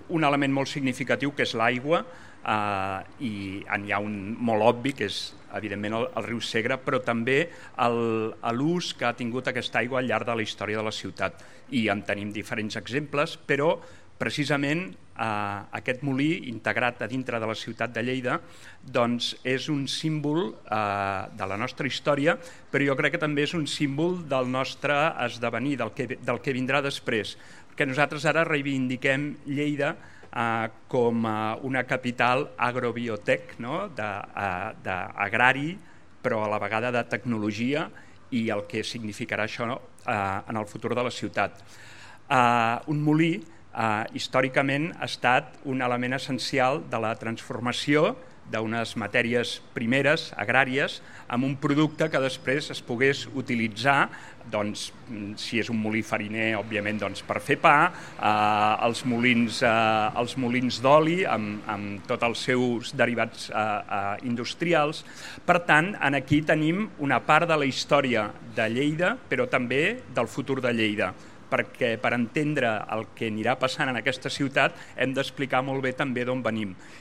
un element molt significatiu que és l'aigua, i hi ha un molt obvi que és evidentment el riu Segre, però també l'ús que ha tingut aquesta aigua al llarg de la història de la ciutat, i en tenim diferents exemples, però precisament aquest molí integrat a dintre de la ciutat de Lleida doncs és un símbol de la nostra història, però jo crec que també és un símbol del nostre esdevenir, del que vindrà després, que nosaltres ara reivindiquem Lleida com una capital agrobiotec, d'agrari, però a la vegada de tecnologia, i el que significarà això en el futur de la ciutat. Un molí històricament ha estat un element essencial de la transformació d'unes matèries primeres agràries amb un producte que després es pogués utilitzar, doncs, si és un molí fariner, òbviament, doncs, per fer pa, els molins d'oli amb tots els seus derivats industrials. Per tant, aquí tenim una part de la història de Lleida, però també del futur de Lleida, perquè per entendre el que anirà passant en aquesta ciutat hem d'explicar molt bé també d'on venim.